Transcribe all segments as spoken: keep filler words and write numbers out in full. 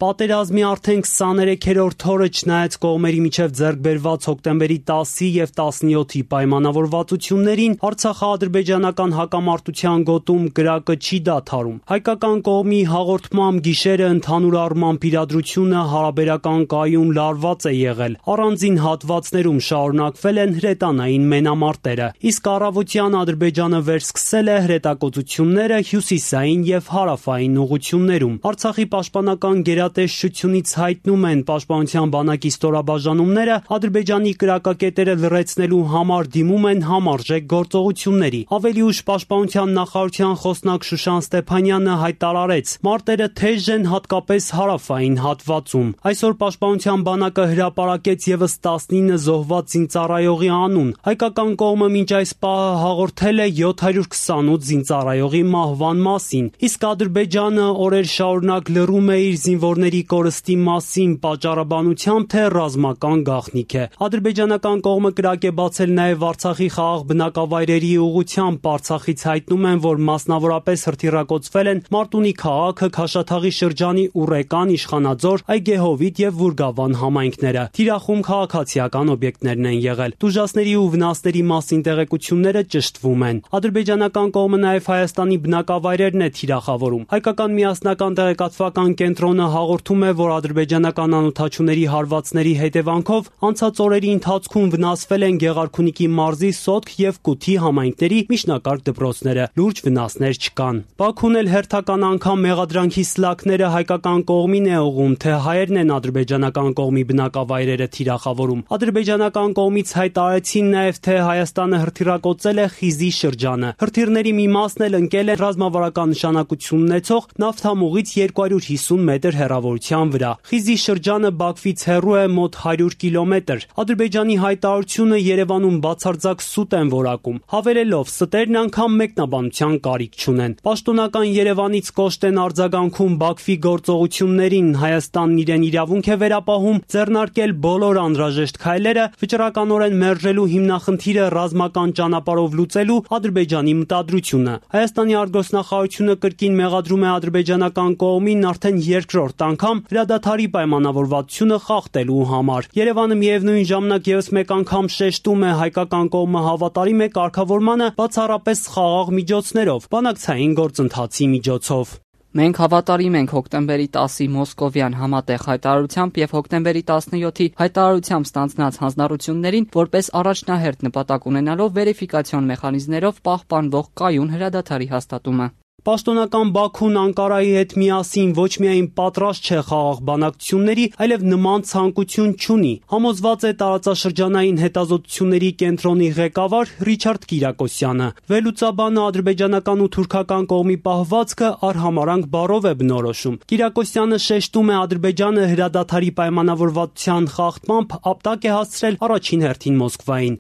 Պատերազմի արդեն քսաներեքերորդ օրը չնայած կողմերի միջև ձեռք բերված հոկտեմբերի տասի եւ տասնյոթի պայմանավորվածություններին, Արցախա-ադրբեջանական հակամարտության գոտում կրակը չի դադարում։ Հայկական կողմի հաղորդմամբ գիշերը ընդհանուր առմամբ իրադրությունը հարաբերական կայուն լարված է եղել։ Առանձին հատվածներում շարունակվել են հրետանային մենամարտերը, իսկ առավոտյան Ադրբեջանը վերսկսել է հրետակոծությունները հյուսիսային եւ հարավային ուղություններում։ Արցախի պաշտպանական գերատեսչությունից հայտնում են պաշտպանության բանակի ստորաբաժանումները Ադրբեջանի կրակակետերը լրացնելու համար դիմում են համարժեք գործողությունների։ Ավելի ուշ պաշտպանության նախարարության խոսնակ Շուշան Ստեփանյանը հայտարարեց. մարտերը թեժ են հատկապես հարավային հատվածում։ Այսօր պաշտպանության բանակը հրապարակեց եւս տասնինը զոհված զինծառայողի անուն։ Հայկական կողմը մինչ այս պահը հաղորդել է յոթ հարյուր քսանութ զինծառայողի մահվան մասին, իսկ Ադրբեջանը օրեր շարունակ լռում է իր զինվորների կորստի մասին պատճառաբանությամբ, թե ռազմական գաղտնիք է։ Ադրբեջանական կողմը կրակ է բացել նաև Արցախի խաղաղ բնակավայրերի ուղղությամբ։ Արցախից հայտնում են, որ մասնավորապես հրթիռակոծվել են Մարտունի քաղաքը, Քաշաթաղի շրջանի Ուռեկան, Իշխանաձոր, Այգեհովիտ եւ Վուրգավան համայնքները։ Թիրախում քաղաքացիական օբյեկտներն են եղել։ Տուժածների ու վնասների մասին տեղեկությունները ճշտվում են։ Ադրբեջանական կողմը նաև Հայաստանի բնակավայրերն է թիրախավորում։ Հայկական միասնական տեղեկատվական կենտրոնը հաղորդում է, որ ադրբեջանական անօդաչուների հարվածների հետևանքով անցած օրերի ընթացքում վնասվել են Գեղարքունիքի մարզի Սոտք եւ Կութի համայնքների միջնակարգ դպրոցները։ Լուրջ վնասներ չկան։ Բաքուն էլ հերթական անգամ մեղադրանքի սլաքները հայկական կողմին է ուղղում, թե հայերն են ադրբեջանական կողմի բնակավայրերը թիրախավորում։ Ադրբեջանական կողմից հայտարարեցին նաև, թե Հայաստանը հրթիռակոծել է Խիզի շրջանը։ Հրթիռների մի մասն էլ ընկել է ռազմավարական նշանակություն ունեցող նավթամուղից երկու հարյուր հիսուն մետր հեռավորության վրա։ Խիզի շրջանը Բաքվից հեռու է մոտ հարյուր կիլոմետր։ Ադրբեջանի հայտարարությունը Երևանում բացարձակ սուտ են որակում, հավելելով ստերն անգամ մեկնաբանության կարիք չունեն։ Պաշտոնական Երևանից կոշտ են արձագանքում Բաքվի գործողություններին։ Հայաստանն իրեն իրավունք է վերապահում ձեռնարկել բոլոր անհրաժեշտ քայլերը վճռականորեն մերժելու հիմնախնդիրը ռազմական ճանապարհով լուծելու Ադրբեջանի մտադրությունը։ Հայաստանի արտգործնախարարությունը կրկին մեղադրում է ադրբեջանական կողմին արդեն երկրորդ անգամ հրադադարի պայմանավորվածությունը խախտելու համար։ Երևանը միևնույն ժամանակ ևս մեկ անգամ շեշտում է հայկական կողմը հավատարիմ է կարգավորմանը բացառապես խաղաղ միջոցներով, բանակցային գործընթացի միջոցով։ Մենք հավատարիմ ենք հոկտեմբերի տասի մոսկովյան համատեղ հայտարարությամբ եւ հոկտեմբերի տասնյոթի հայտարարությամբ ստանձնած հանձնառություններին, որպես առաջնահերթ նպատակ ունենալով վերիֆիկացիոն մեխանիզմներով պահպանվող կայուն հրադադարի հաստատումը։ Պաշտոնական Բաքուն Անկարայի հետ միասին ոչ միայն պատրաստ չէ խաղաղ բանակցությունների, այլև նման ցանկություն չունի։ Համոզված է տարածաշրջանային հետազոտությունների կենտրոնի ղեկավար Ռիչարդ Կիրակոսյանը։ Վերլուծաբանը ադրբեջանական ու թուրքական կողմի պահվածքը արհամարանք բառով է բնորոշում։ Կիրակոսյանը շեշտում է Ադրբեջանը հրադադարի պայմանավորվածության խախտմամբ ապտակ է հասցրել առաջին հերթին Մոսկվային։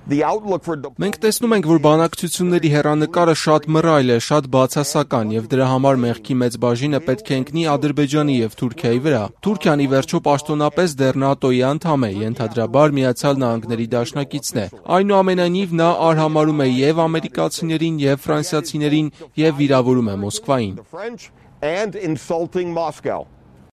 Մենք տեսնում ենք, որ բանակցությունների հեռանկարը շատ մռայլ է, շատ բացասական եւ դրա համար մեղքի մեծ բաժինը պետք է ընկնի Ադրբեջանի եւ Թուրքիայի վրա։ Թուրքիան ի վերջո պաշտոնապես դեռ ՆԱՏՕ-ի անդամ է, ենթադրաբար Միացյալ Նահանգների դաշնակիցն է։ Այնուամենայնիվ նա արհամարում է եւ ամերիկացիներին եւ ֆրանսիացիներին եւ վիրավորում է Մոսկվային։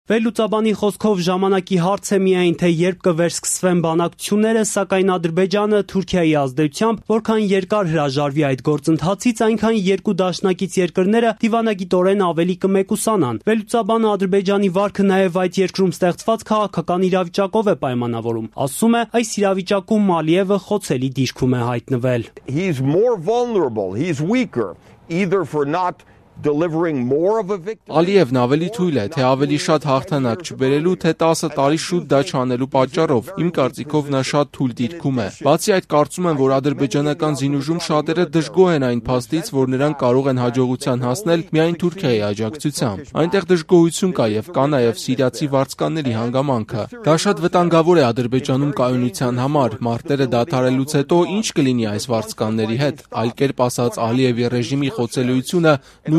Վերլուծաբանի խոսքով ժամանակի հարց է միայն, թե երբ կվերսկսվեն բանակցությունները, սակայն Ադրբեջանը Թուրքիայի ազդեցությամբ որքան երկար հրաժարվի այդ գործընթացից, այնքան երկու դաշնակից երկրները դիվանագիտորեն ավելի կմեկուսանան։ Վերլուծաբանը Ադրբեջանի վարքը նաև այդ երկրում ստեղծված քաղաքական իրավիճակով է պայմանավորում։ Ասում է, այս իրավիճակում Ալիևը խոցելի դիրքում է հայտնվել։ He's more vulnerable, he's weaker, either for not delivering more of a victory. Ալիևն ավելի թույլ է, թե ավելի շատ հաղթանակ չբերելու, թե տասը տարի շուտ դա չանելու պատճառով։ Իմ կարծիքով նա շատ թույլ դիրքում է։ Բացի այդ, կարծում եմ, որ ադրբեջանական զինուժում շատերը դժգոհ են այն փաստից, որ նրանք կարող են հաջողության հասնել միայն Թուրքիայի աջակցությամբ։ Այնտեղ դժգոհություն կա եւ կա նաեւ սիրիացի վարձկանների հանգամանքը։ Դա շատ վտանգավոր է Ադրբեջանում կայունության համար։ Մարտերը դադարելուց հետո ինչ կլինի այս վարձկանների հետ։ Այլ կերպ ասած, Ալիևի ռեժիմի խոցելիությունը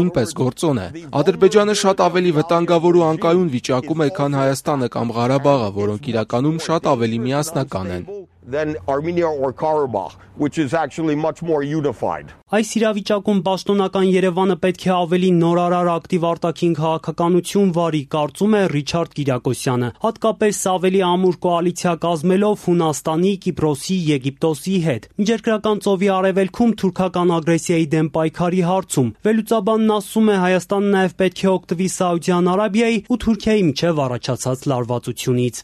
նույնպես գործոն է։ Ադրբեջանը շատ ավելի վտանգավոր ու անկայուն վիճակում է, քան Հայաստանը կամ Ղարաբաղը, որոնք իրականում շատ ավելի միասնական են։ than Armenia or Karabakh, which is actually much more unified. Այս իրավիճակում պաշտոնական Երևանը պետք է ավելի նորարար ակտիվ արտաքին քաղաքականություն վարի, կարծում է Ռիչարդ Կիրակոսյանը, հատկապես ավելի ամուր կոալիցիա կազմելով Հունաստանի, Կիպրոսի, Եգիպտոսի հետ։ Միջերկրական ծովի արևելքում թուրքական ագրեսիայի դեմ պայքարի հարցում վերլուծաբանն ասում է, Հայաստանը նաև պետք է օգտվի Սաուդյան Արաբիայի ու Թուրքիայի միջև առաջացած լարվածությունից։